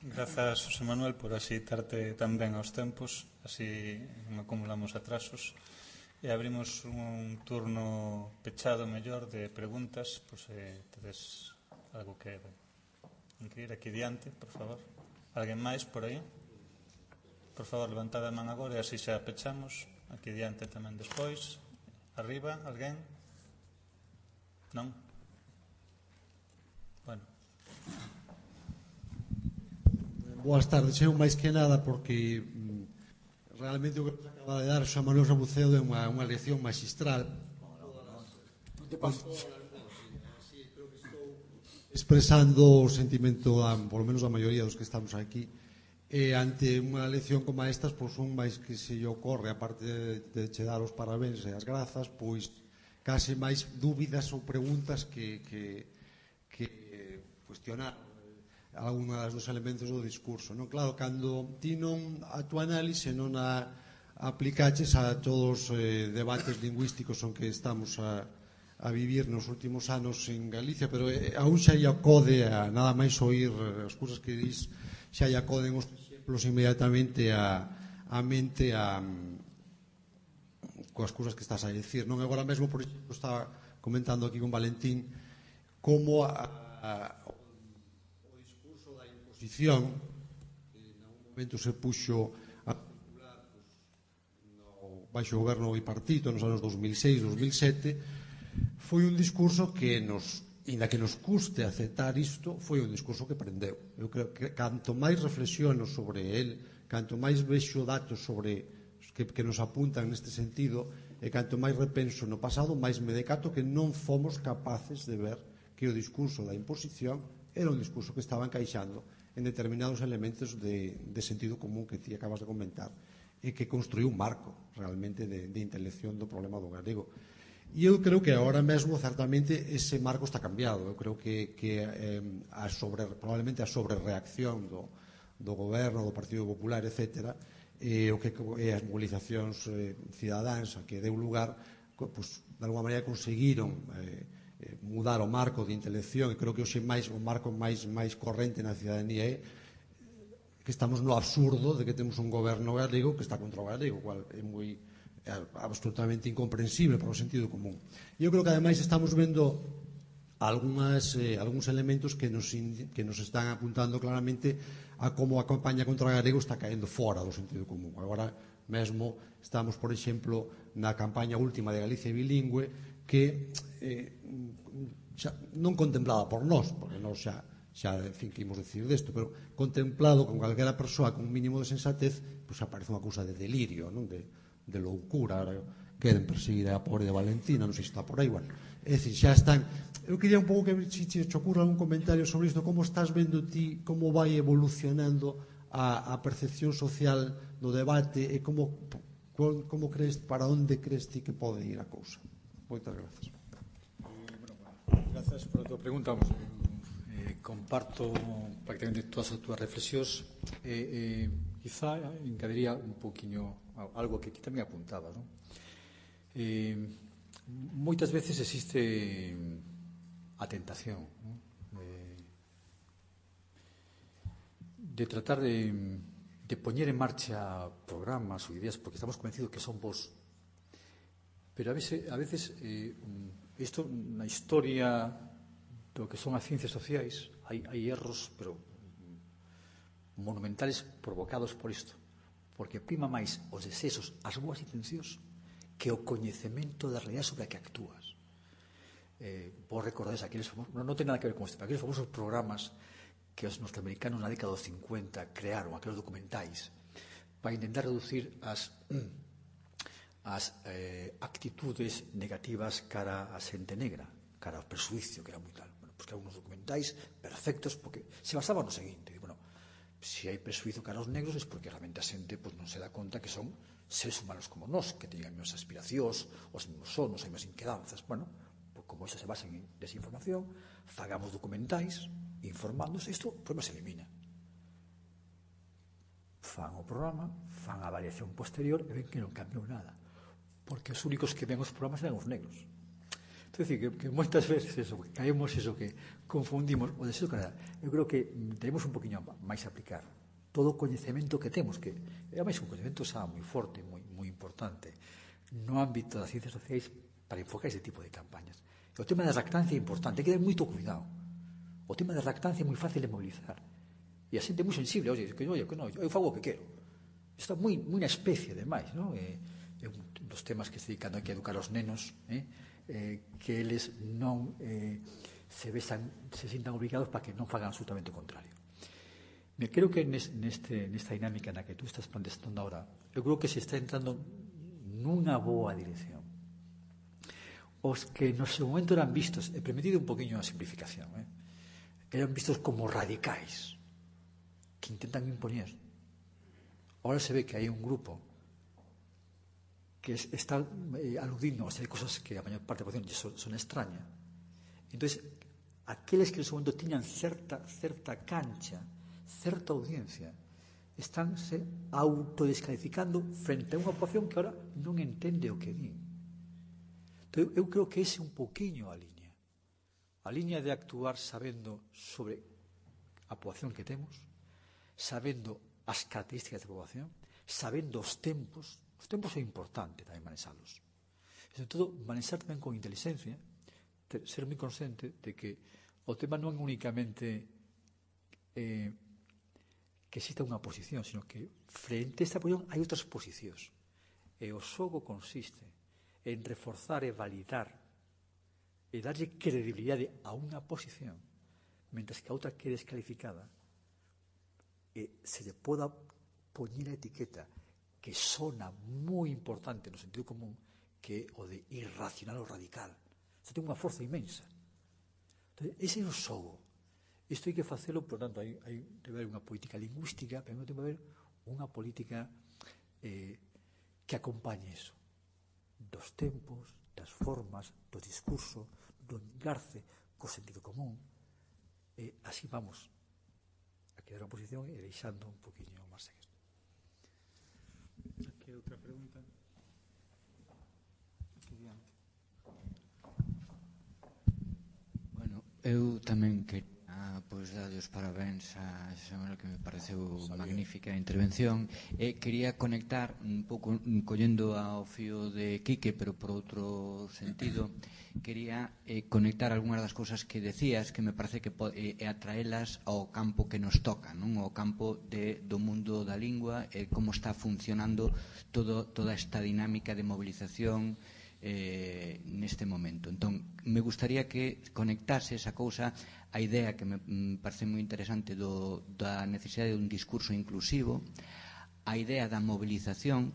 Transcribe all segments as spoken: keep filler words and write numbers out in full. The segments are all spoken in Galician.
Grazas, José Manuel, por axeitarte tan ben aos tempos, así non acumulamos atrasos. E abrimos un turno pechado mellor de preguntas, por se tedes algo que incluir aquí diante, por favor. Alguén máis por aí? Por favor, levantad a man agora e así xa pechamos. Aquí diante tamén despois. Arriba, alguén? Non? Bueno. Boas tardes, eu máis que nada porque mm, realmente o que nos acaba de dar Xan Manuel Sabucedo é unha, unha lección magistral. Non te paso. Sí, creo que estou expresando o sentimento a, por lo menos a maioría dos que estamos aquí, e ante unha lección como estas, pois un máis que se lle ocorre, aparte de, de che dar os parabéns e as grazas, pois case máis dúbidas ou preguntas que, que, que cuestionar algunhas dos elementos do discurso, non? Claro, cando ti non a tua análise non a aplicaches a todos os eh, debates lingüísticos en que estamos a, a vivir nos últimos anos en Galicia, pero eh, aún xa lle acode a nada máis oír as cousas que dis, xa lle acoden os exemplos inmediatamente a, a mente a coas cousas que estás a dicir, non? Agora mesmo, por exemplo, estaba comentando aquí con Valentín como a, a posición que en algún momento se puxo a circular pues, no baixo goberno bipartito nos anos dos mil seis, dos mil sete, foi un discurso que nos, inda que nos custe aceptar isto, foi un discurso que prendeu. Eu creo que canto máis reflexiono sobre el, canto máis vexo datos sobre que, que nos apuntan neste sentido, e canto máis repenso no pasado, máis me decato que non fomos capaces de ver que o discurso da imposición era un discurso que estaba encaixando en determinados elementos de, de sentido común que ti acabas de comentar e que construiu un marco realmente de, de intelección do problema do galego. E eu creo que agora mesmo certamente ese marco está cambiado. Eu creo que, que eh, a sobre, probablemente a sobrereacción do, do goberno, do Partido Popular, etcétera, e o que e as movilizacións eh, cidadáns a que deu lugar, pues, de alguma maneira conseguiron eh, mudar o marco de intelección, e creo que hoxe máis o marco máis máis corrente na cidadanía é que estamos no absurdo de que temos un goberno galego que está contra o galego, cual é moi é absolutamente incomprensible para o sentido común. E eu creo que ademais estamos vendo algunhas, eh, algúns elementos que nos, que nos están apuntando claramente a como a campaña contra o galego está caendo fora do sentido común. Agora mesmo estamos, por exemplo, na campaña última de Galicia bilingüe, que eh, xa, non contemplada por nós, porque nós xa, xa en fin, que imos decir desto, pero contemplado con calquera persoa con un mínimo de sensatez, pois aparece unha cousa de delirio, non? De, de loucura. Ahora queren perseguir a pobre de Valentina, non sei se está por aí, bueno, é dicir, xa están. Eu quería un pouco que se che ocurra un comentario sobre isto, como estás vendo ti, como vai evolucionando a, a percepción social do debate e como, como crees, para onde crees ti que pode ir a cousa. Moitas grazas. Grazas por a tua pregunta. Vamos, eh, comparto prácticamente todas as túas reflexións. Eh, eh, quizá engadiría un poquinho algo que aquí tamén apuntaba, non? Eh, moitas veces existe a tentación, non? De, de tratar de, de poñer en marcha programas ou ideas porque estamos convencidos que son vos. Pero a veces, a veces eh, isto na historia do que son as ciencias sociais hai, hai erros, pero monumentales provocados por isto, porque prima máis os desexos, as boas intencións, que o coñecemento da realidade sobre a que actúas. Eh, vos recordades aqueles famosos, non, non ten nada que ver con isto, pero aqueles famosos programas que os norteamericanos na década dos cincuenta crearon, aqueles documentais, para intentar reducir as as eh, actitudes negativas cara a xente negra, cara ao presuicio, que era moi tal. Bueno, pois que eran uns documentais perfectos, porque se basaban no seguinte, bueno, se hai presuizo cara aos negros é porque realmente a xente pues, non se dá conta que son seres humanos como nós, que teñen as mesmas aspiracións, os mesmos sonos, as mesmas inquedanzas. Bueno, pues, como iso se basa en desinformación, fagamos documentais informándose, isto, o problema se elimina. Fan o programa, fan a variación posterior e ven que non cambiou nada, porque os únicos que ven os programas eran os negros. É dicir, que, que moitas veces eso, que caemos eso, que confundimos o deseo de calidad. Eu creo que tenemos un poquinho máis a aplicar todo o coñecemento que temos, que é máis un coñecemento xa moi forte, moi, moi importante, no ámbito das ciencias sociais para enfocar ese tipo de campañas. E o tema da lactancia é importante, hai que ter moito cuidado. O tema da lactancia é moi fácil de mobilizar. E a xente é moi sensible, oye, que, oye, que non, eu fago o que quero. Está moi, moi na especie, ademais, non? É, é un dos temas que se dedican a que educar aos nenos, eh? Eh, que eles non eh, se vexan, se sintan obligados para que non fagan absolutamente o contrario. Me creo que neste, nesta dinámica na que tú estás planteando ahora, eu creo que se está entrando nunha boa dirección. Os que no seu momento eran vistos, he permitido un poquinho a simplificación, eh? eran vistos como radicais, que intentan imponer. Ahora se ve que hai un grupo que está eh, aludindo a hacer cosas que a maior parte da población son, son extrañas. Entón, aqueles que en su momento tiñan certa, certa cancha, certa audiencia, estánse autodescalificando frente a unha población que ahora non entende o que di. Entón, eu creo que ese é un poquinho a liña. A liña de actuar sabendo sobre a población que temos, sabendo as características da población, sabendo os tempos. Os tempos é importante tamén manexalos. E, sobre todo, manexar tamén con inteligencia, ser moi consciente de que o tema non é únicamente eh, que exista unha posición, sino que frente a esta posición hai outras posicións. E o xogo consiste en reforzar e validar e darlle credibilidade a unha posición, mentre que a outra quede descalificada e se lle poda poñer a etiqueta que sona moi importante no sentido común, que é o de irracional ou radical. Isto ten unha forza inmensa. Entón, ese é o xogo. Isto hai que facelo, por tanto, hai, hai debe haber unha política lingüística, pero non debe haber unha política eh, que acompañe eso. Dos tempos, das formas, do discurso, do engarce co sentido común. E así vamos a quedar a posición e deixando un poquinho máis seguir. Aquí outra pregunta. Aquí diante. Bueno, eu tamén quería pois darlle os parabéns a Samuel, que me pareceu magnífica a intervención, e quería conectar un pouco collendo ao fío de Quique, pero por outro sentido, quería eh, conectar algunhas das cousas que decías, que me parece que e eh, atraelas ao campo que nos toca, non? Ao campo de, do mundo da lingua, e eh, como está funcionando todo, toda esta dinámica de movilización eh, neste momento. Entón, me gustaría que conectase esa cousa a idea que me parece moi interesante do, da necesidade de un discurso inclusivo, a idea da movilización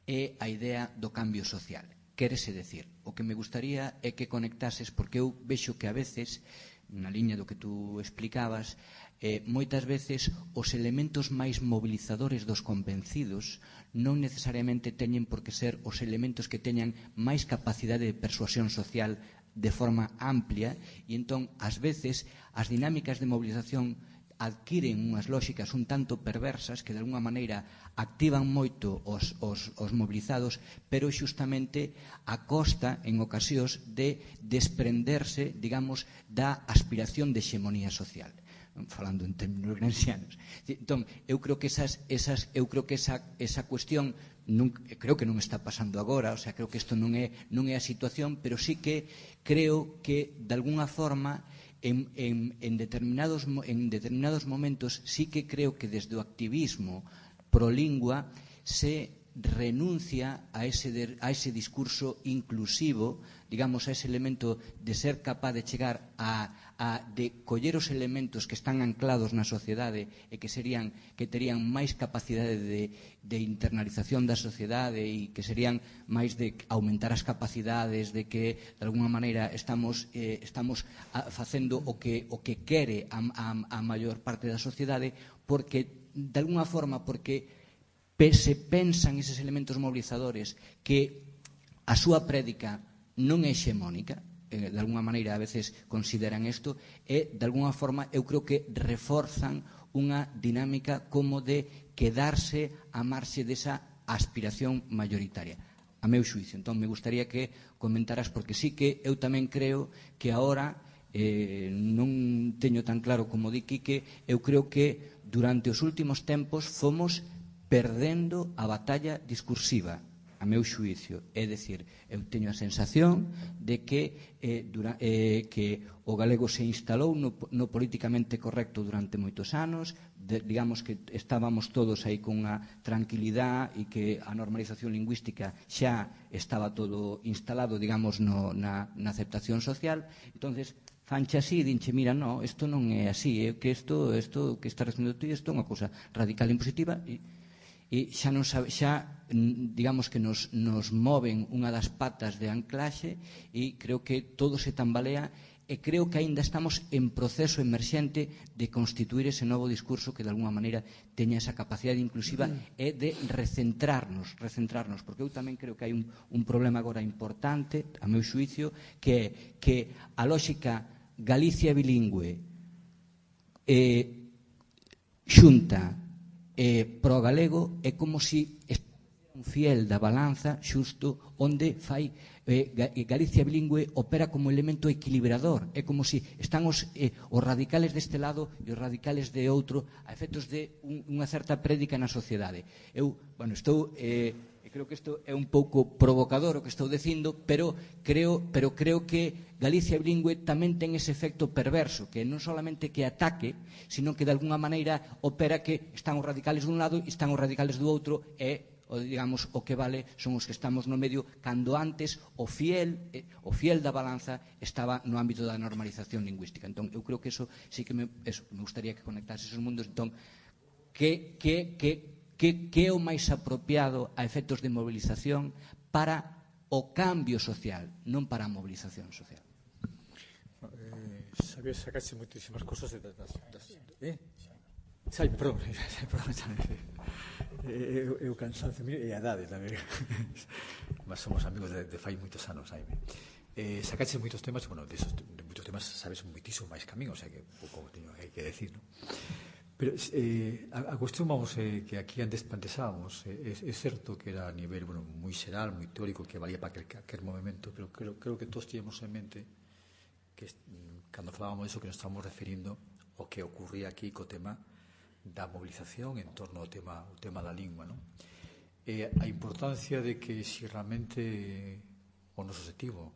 e a idea do cambio social. Quérese decir, o que me gustaría é que conectases, porque eu vexo que a veces, na liña do que tú explicabas, eh, moitas veces os elementos máis mobilizadores dos convencidos non necesariamente teñen por que ser os elementos que teñan máis capacidade de persuasión social de forma amplia, e entón, ás veces, as dinámicas de movilización adquiren unhas lóxicas un tanto perversas que de alguna maneira activan moito os, os, os mobilizados, pero xustamente a costa en ocasións de desprenderse, digamos, da aspiración de hexemonía social, falando en términos gramscianos. Entón, eu creo que esas, esas eu creo que esa, esa cuestión non, creo que non está pasando agora, o sea, creo que isto non é, non é a situación, pero sí que creo que de alguna forma En, en, en, determinados, en determinados momentos sí que creo que desde o activismo pro lingua se renuncia a ese, de, a ese discurso inclusivo, digamos, a ese elemento de ser capaz de chegar a, a de coller os elementos que están anclados na sociedade e que serían que terían máis capacidade de, de internalización da sociedade e que serían máis de aumentar as capacidades, de que de alguna maneira estamos eh, estamos a, facendo o que o que quere a, a, a maior parte da sociedade, porque de alguna forma porque se pensan eses elementos mobilizadores que a súa prédica non é hexemónica, eh, de alguna maneira a veces consideran isto, e de alguna forma eu creo que reforzan unha dinámica como de quedarse a marxe desa aspiración mayoritaria. a meu xuicio. Entón, me gustaría que comentaras, porque sí que eu tamén creo que agora, eh, non teño tan claro como di Quique, eu creo que durante os últimos tempos fomos perdendo a batalla discursiva, a meu xuicio. É dicir, eu teño a sensación de que, eh, dura, eh, que o galego se instalou no, no políticamente correcto durante moitos anos, de, digamos que estábamos todos aí con unha tranquilidade e que a normalización lingüística xa estaba todo instalado, digamos, no, na, na aceptación social. Entonces, fanche así, dinche, mira, no, isto non é así, é que isto, isto que está recibendo ti, isto é unha cousa radical e impositiva, e e xa, non sabe, xa digamos que nos, nos moven unha das patas de anclaxe e creo que todo se tambalea e creo que aínda estamos en proceso emerxente de constituir ese novo discurso que de alguma maneira teña esa capacidade inclusiva e de recentrarnos, recentrarnos, porque eu tamén creo que hai un, un problema agora importante, a meu xuicio, que é que a lóxica Galicia bilingüe eh, xunta Eh, pro galego é como si un fiel da balanza xusto onde fai eh, Galicia bilingüe opera como elemento equilibrador. É como si están os, eh, os radicales deste lado e os radicales de outro a efectos de un, unha certa prédica na sociedade. Eu, bueno, estou... Eh, creo que isto é un pouco provocador o que estou dicindo, pero creo, pero creo que Galicia bilingüe tamén ten ese efecto perverso, que non solamente que ataque, sino que de alguna maneira opera que están os radicales dun lado e están os radicales do outro, e o, digamos, o que vale son os que estamos no medio, cando antes o fiel, eh, o fiel da balanza estaba no ámbito da normalización lingüística. Entón, eu creo que eso sí que me, eso, me gustaría que conectase esos mundos. Entón, que, que, que que, que é o máis apropiado a efectos de movilización para o cambio social, non para a movilización social. Eh, sabía sacarse moitísimas cosas de, das, das, eh? Sai, perdón, perdón, eh, eu, eu cansancio e a edade tamén. Mas somos amigos de, de fai moitos anos, Jaime. Eh, sacaste moitos temas, bueno, de, esos, de moitos temas sabes moitísimo máis que a min, o sea que pouco teño que decir, non? Pero eh, a, a cuestión, vamos, eh, que aquí antes planteábamos, eh, é, é certo que era a nivel, bueno, moi xeral, moi teórico, que valía para aquel, aquel movimento, pero creo, creo que todos teníamos en mente que cando falábamos disso que nos estamos referindo ao que ocurría aquí co tema da movilización en torno ao tema, ao tema da lingua, non? E a importancia de que si realmente o noso objetivo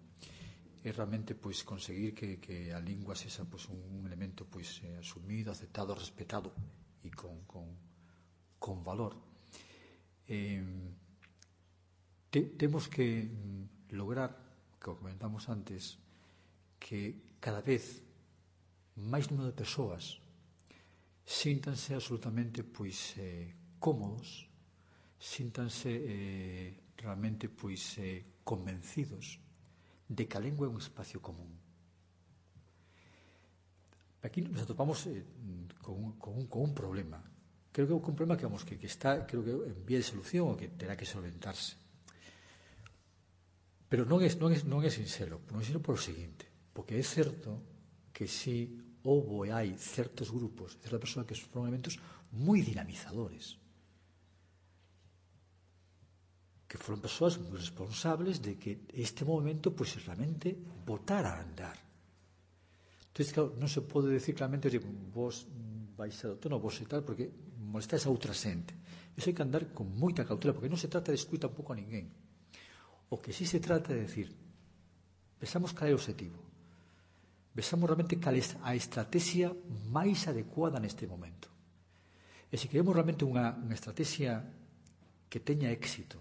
é realmente pois conseguir que, que a lingua sexa pois un elemento pois eh, asumido, aceptado, respetado e con, con, con valor. Eh, te, temos que mm, lograr, que o comentamos antes, que cada vez máis número de persoas síntanse absolutamente pois eh, cómodos, síntanse eh, realmente pois eh, convencidos de que a lingua é un espacio común. Aquí nos atopamos eh, con, un, con, un, con un problema. Creo que é un problema que, vamos, que, que está, creo que en vía de solución o que terá que solventarse. Pero non é, non é, non é sincero, non é sincero por o seguinte, porque é certo que si houbo e hai certos grupos, certas persoas que son elementos moi dinamizadores, que foron persoas moi responsables de que este movimento pois realmente botara a andar. Entón, claro, non se pode decir claramente, oye, vos vais a non vos e tal, porque molestáis a outra xente. Iso hai que andar con moita cautela, porque non se trata de excluir tampouco a ninguén. O que sí se trata de decir, pensamos cal é o objetivo, pensamos realmente cal é a estrategia máis adecuada neste momento. E se queremos realmente unha, unha estrategia que teña éxito,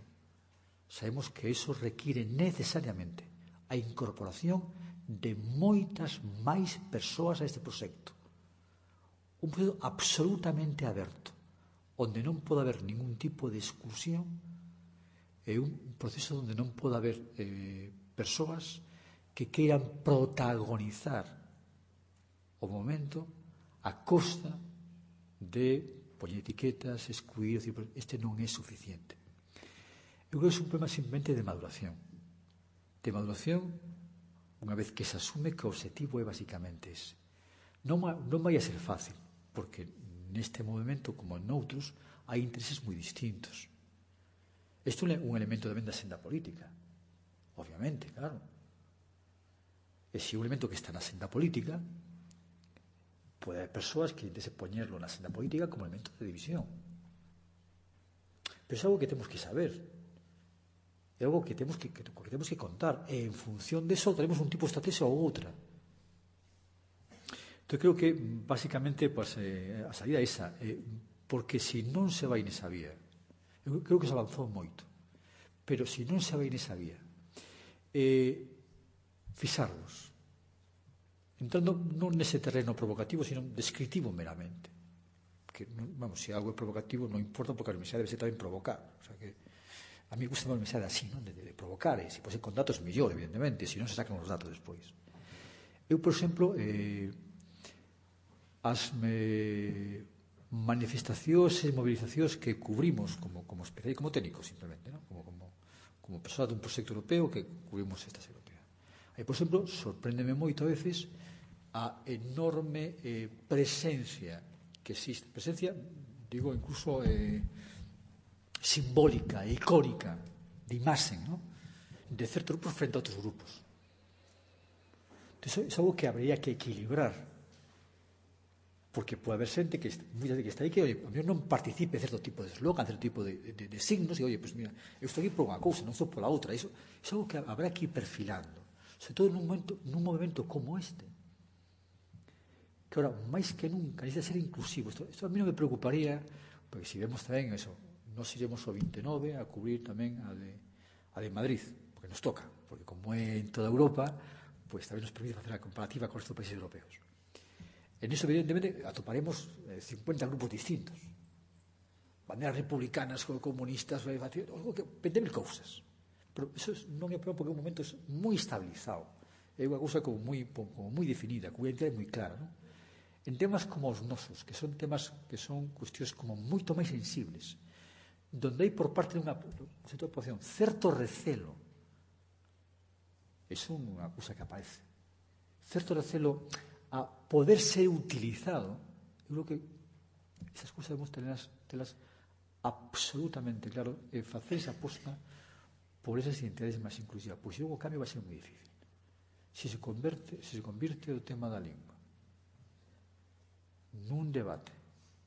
sabemos que iso require necesariamente a incorporación de moitas máis persoas a este proxecto. Un proxecto absolutamente aberto, onde non pode haber ningún tipo de exclusión, e un proceso onde non pode haber eh, persoas que queiran protagonizar o momento a costa de poñer etiquetas, excluir, este non é suficiente. Eu creo que é un problema simplemente de maduración. De maduración, unha vez que se asume que o objetivo é basicamente ese. Non, non vai a ser fácil, porque neste movimento, como en outros, hai intereses moi distintos. Isto é un elemento tamén da senda política, obviamente, claro. E se un elemento que está na senda política, pode haber persoas que intenten poñerlo na senda política como elemento de división. Pero é algo que temos que saber, é algo que temos que, que, que, temos que contar, e en función de eso tenemos un tipo de estrategia ou outra. Entón, creo que, basicamente, pues, eh, a salida é esa, eh, porque se non se vai nesa vía, eu creo que se avanzou moito, pero se non se vai nesa vía, eh, fixarvos, entrando non nese terreno provocativo, sino descritivo meramente, que, vamos, se algo é provocativo non importa, porque a universidade debe ser tamén provocar, o sea que a mí gusta a universidade así, non? De, de provocar, e se pode ser con datos mellor, evidentemente, se non se sacan os datos despois. Eu, por exemplo, eh, as me manifestacións e movilizacións que cubrimos como, como especial e como técnico, simplemente, ¿no? como, como, como persoa dun proxecto europeo que cubrimos estas europeas. Aí, por exemplo, sorpréndeme moito a veces a enorme eh, presencia que existe, presencia, digo, incluso eh, simbólica, icónica, de imaxen, ¿no? De certos grupos frente a outros grupos. Entón, é algo que habría que equilibrar, porque pode haber xente que, muita gente que está aí que, oye, a mí non participe certo tipo de eslogan, certo tipo de, de, de signos, e, oye, pues mira, eu estou aquí por unha cousa, non estou pola outra. Iso é algo que habrá que ir perfilando, sobre todo nun momento, nun movimento como este, que ahora, máis que nunca, necesita ser inclusivo. Isto, isto a mí non me preocuparía, porque se vemos tamén eso, nos iremos ao vinte e nove a cubrir tamén a de, a de Madrid, porque nos toca, porque como é en toda Europa, pues tamén nos permite facer a comparativa con estes países europeos. En iso, evidentemente, atoparemos cincuenta grupos distintos. Banderas republicanas, comunistas, algo que vende mil cousas. Pero iso non é porque é un momento moi estabilizado. É unha cousa como moi, como moi definida, con unha identidade moi clara, non? En temas como os nosos, que son temas que son cuestións como moito máis sensibles, donde hai por parte de unha sector de población certo recelo, iso é unha cousa que aparece, certo recelo a poder ser utilizado. Eu creo que esas cousas debemos telas, telas absolutamente claro e facer esa aposta por esas identidades máis inclusivas, pois o cambio vai ser moi difícil. Se se converte, se se convirte o tema da lingua nun debate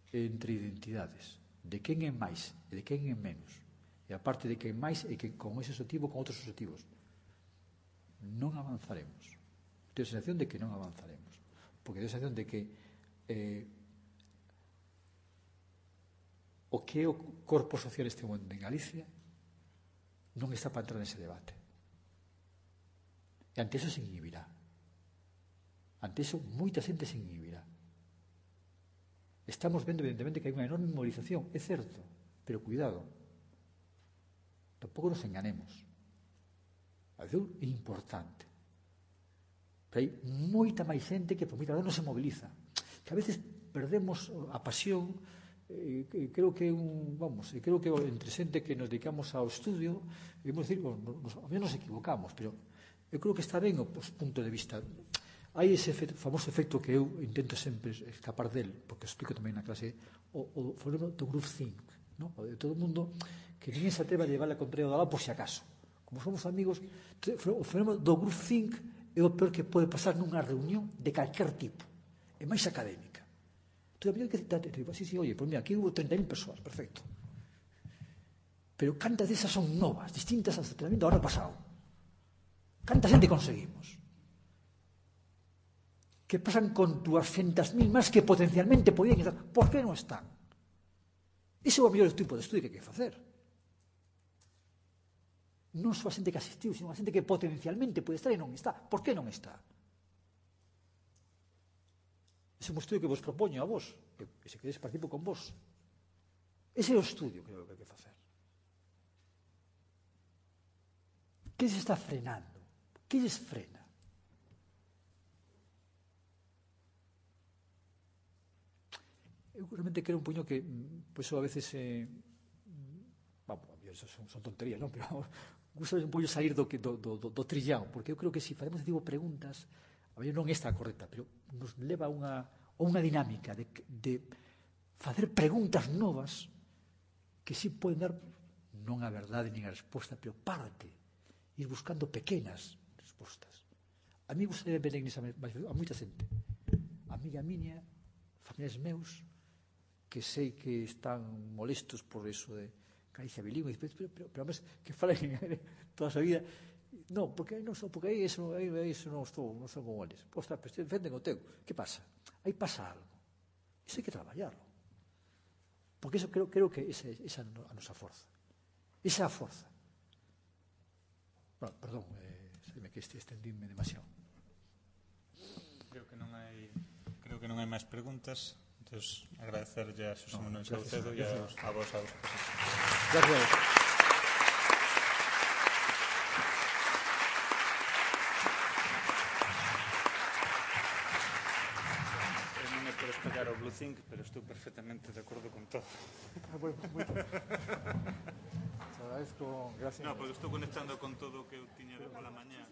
entre identidades de quen é máis e de quen é menos, e a parte de quen máis e que con ese objetivo con outros objetivos, non avanzaremos. Tenho a sensación de que non avanzaremos, porque tenho a sensación de que eh, o que é o corpo social este momento en Galicia non está para entrar nese debate, e ante eso se inhibirá, ante eso moita xente se inhibirá. Estamos vendo evidentemente que hai unha enorme movilización, é certo, pero cuidado, tampouco nos enganemos, a veces é importante. Pero hai moita máis xente que por moita razón non se moviliza, que a veces perdemos a pasión, eh, que creo que un, vamos, creo que entre xente que nos dedicamos ao estudio, vamos decir, bueno, nos, a menos nos equivocamos, pero eu creo que está ben o pues, punto de vista. Hai ese efecto, famoso efecto que eu intento sempre escapar del, porque explico tamén na clase, o, o fenómeno do group think, ¿no? O de todo o mundo que ninguén se atreva a llevar a contraria do lado por si acaso. Como somos amigos, o fenómeno do group think é o peor que pode pasar nunha reunión de calquer tipo, é máis académica. Entón, a mí que te digo, sí, sí, oye, pues mira, aquí hubo treinta mil persoas, perfecto. Pero cantas desas son novas, distintas ao tratamiento do ano pasado. Canta xente conseguimos? Que pasan con doscientas mil máis que potencialmente podían estar. Por que non están? Ese é o mellor tipo de estudio que hai que facer. Non só a xente que asistiu, sino a xente que potencialmente pode estar e non está. Por que non está? Ese é un estudio que vos propoño a vos, que se queréis participo con vos. Ese é o estudio que creo que hai que facer. Que se está frenando? Que lles frena? Eu realmente creo un puño que, pois, a veces, eh, vamos, son, son tonterías, non? Pero gusta un puño sair do, do, do, do trillao, porque eu creo que se si facemos, digo, preguntas, a ver, non esta correcta, pero nos leva a unha, a unha dinámica de, de facer preguntas novas que si poden dar non a verdade nin a resposta, pero parte, ir buscando pequenas respostas. A mí gustaría ver a Iglesia a moita xente, amiga miña, familiares meus, que sei que están molestos por eso de Galicia bilingüe, pero, pero, pero, pero además, que falen toda a vida. Non, porque aí non estou, porque aí eso, aí, aí eso non estou, non estou con eles. Ostras, pero defenden o teu. Que pasa? Aí pasa algo. Iso hai que traballarlo. Porque eso creo, creo que esa é a nosa forza. Esa é a forza. Bueno, perdón, eh, me que este estendíme demasiado. Creo que non hai creo que non hai máis preguntas. Entón, agradecerlle a Xosé Manuel Saucedo e a, a vos a vos. Gracias. Por espallar o Blue Think, pero estou perfectamente de acordo con todo. Ah, bueno, moito. Te agradezco, gracias. No, porque estou conectando con todo o que eu tiña de pola mañá.